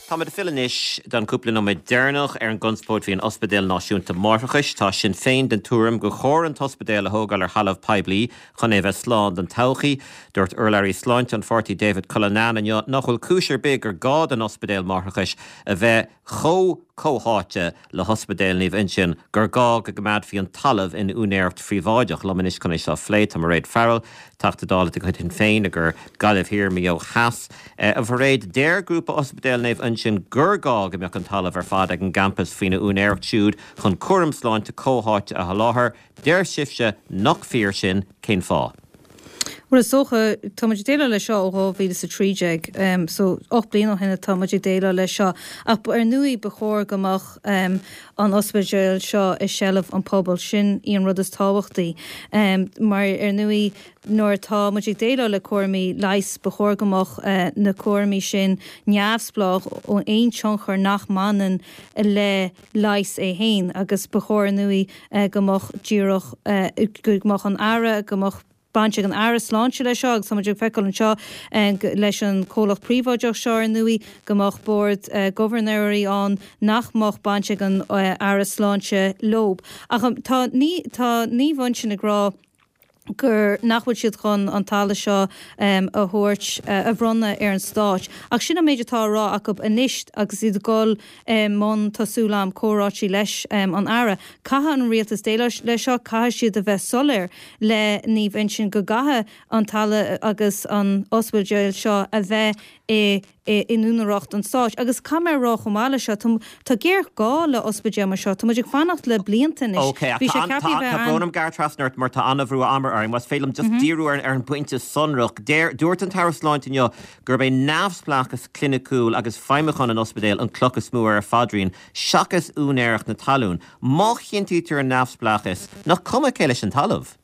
Táimid ag filleadh anois don chúpla nóiméad deireanach ar an gconspóid faoi an Ospidéal Náisiúnta Máithreachais. Tá Sinn Féin den tuairim gur chóir an t-ospidéal a thógáil ar thalamh poiblí chun é a bheith slán don todhchaí. Dúirt urlabhraí sláinte an pháirtí David Cullinane inniu nach bhfuil cúis ar bith gur gá don ospidéal máithreachais a bheith chomh comhtháite le hOspidéal Naomh Uinseann gur gá go gcoimeádfaí an talamh in úinéireacht phríobháideach. Liom anois chun é seo a phlé tá Mairéad Farrell, Teachta Dála de chuid Shinn Féin i gCo Gaillimh Thiar, Maigh Eo Theas. A Mhairéad, deir grúpa Ospidéal Naomh Uinseann gur gá go mbeadh an talamh ar fad ag an gcampas faoina úinéireacht siúd chun cúram sláinte comhtháite a sholáthar. Deir sibhse nach fíor sin, cén fáth? Bhuel, is dócha, tá muid ag déileáil leis seo ó 2013, so 8 bliana ó shin atá muid ag déileáil leis seo. Ach ar ndóigh ba chóir go mbeadh an ospidéal seo i seilbh an pobail, sin í an rud is tábhachtaí. Mar ar ndóigh nuair atá muid ag déileáil le cúraimí leighis ba chóir go mbeadh na cúraimí sin neamhspleách ó aon tionchar nach mbaineann le leigheas é féin agus ba chóir ar ndóigh go mbeadh díreach, go mbeadh an Aire, go mbeadh baint ag an Aire Sláinte leis seo agus tá muid ag feiceáil anseo leis an comhlacht príobháideach seo ar ndóigh go mbeadh bord gobharnóirí ann nach mbeadh baint ag an Aire Sláinte leo. Ach tá, tá Naomh Uinseann ag rá, gur nach bhfuil siad chun an talamh seo a thabhairt, a bhronnadh ar an Stát. Ach sin an méid atá á rá acu anois agus iad ag dul i mbun, tá súil agam, comhráití leis an Aire. Caithfidh an Rialtas déileáil leis seo, caithfidh siad a bheith soiléir le Naomh Uinseann go gcaithfidh an talamh agus an ospidéal seo a bheith i in úinéireacht an stáit. Agus caithfidh mé a rá chomh maith leis seo, tá géarghá le ospidéal mar seo. Tá muid ag fanacht le blianta anois. Ok, ach tá an, tá, tá brón orm gearradh trasna ort mar tá an-bhrú ama orainn. Más féidir liom just díriú ar an bpointe sonrach. Deir, dúirt an tAire Sláinte inniu gurb é neamhspleáchas cliniciúil agus feidhmiúcháin an ospidéil an cloch is mó ar a phaidrín, seachas úinéireacht na talún. Má chinntítear an neamhspleáchas, nach cuma cé leis an talamh?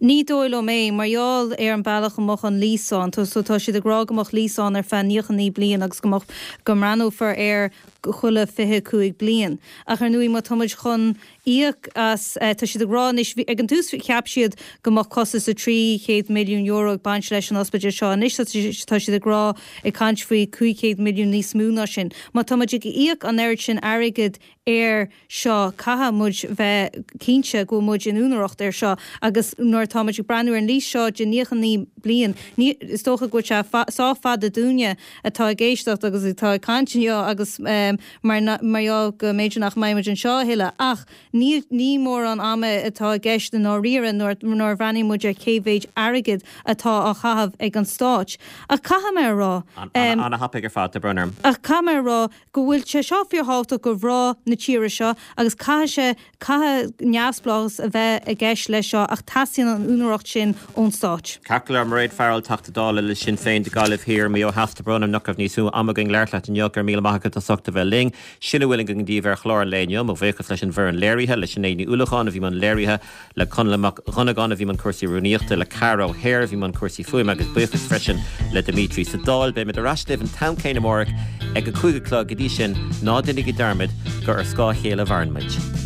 Ní dóigh liom é, mar gheall ar an bealach a mbeadh an lease ann. So tá siad ag rá go mbeadh lease ann ar feadh 99 bliain agus go mbeadh, go mbreathnófar air chuile 25 bliain. Ach ar ndóigh má tá muid chun íoc as, tá siad ag rá anois, bhí, ag an tús cheap siad go mbeadh costas de €300 milliún ag baint leis an ospidéal seo. Anois tá siad ag rá, ag caint faoi 500 milliún níos mó ná sin. Má tá muid ag íoc an oiread sin airgid air seo, caithfidh muid bheith cinnte go bhfuil muid in úinéireacht air seo agus nuair atá muid ag breathnú ar an lease seo de 99 bliain, ní, is dócha go bhfuil sé sách fada dúinne atá ag éisteacht agus atá ag caint inniu agus mar, mar gheall go mb'fhéidir nach mbeidh muid anseo a thuilleadh ach ní, ní mórán ama atá i gceist i ndáiríre nuair, nuair a bhreathnaíonn muid ar cé mhéid airgid atá á chaitheamh ag an Stát. Ach caithfidh mé a rá. An-thapaidh ar fad, tá brón orm. Ach caithfidh mé a rá go bhfuil sé seo fíorthábhachtach do mhná na tíre seo agus caithfidh sé, caithfidh neamhspleáchas a bheith i gceist leis seo ach teastaíonn an úinéireacht sin ón Stát. Ceart go leor, Mairéad Farrell, Teachta Dála le Sinn Féin do Gaillimh Thiar, Maigh Eo Theas, tá brón orm nach raibh níos mó ama againn labhairt leat inniu, go raibh míle maith agat as ucht a bheith linn. Sin a bhfuil againn daoibh ar chlár an lae inniu. Mo bhuíochas leis an bhfoireann léirithe, le Sinéad Ní Uallacháin a bhí i mbun léirithe, le Conall Mac Dhonnagáin a bhí i mbun cúrsaí rúnaíochta, le Ceara Ó hEithir a bhí i mbun cúrsaí fuaime agus buíochas freisin le Dimitri sa Dáil. Beimid ar ais libh an t-am céanna amárach ag a 5 a chlog. Go dtí sin, ná déanaigí dearmad gur ar scáth a chéile a mhaireann muid.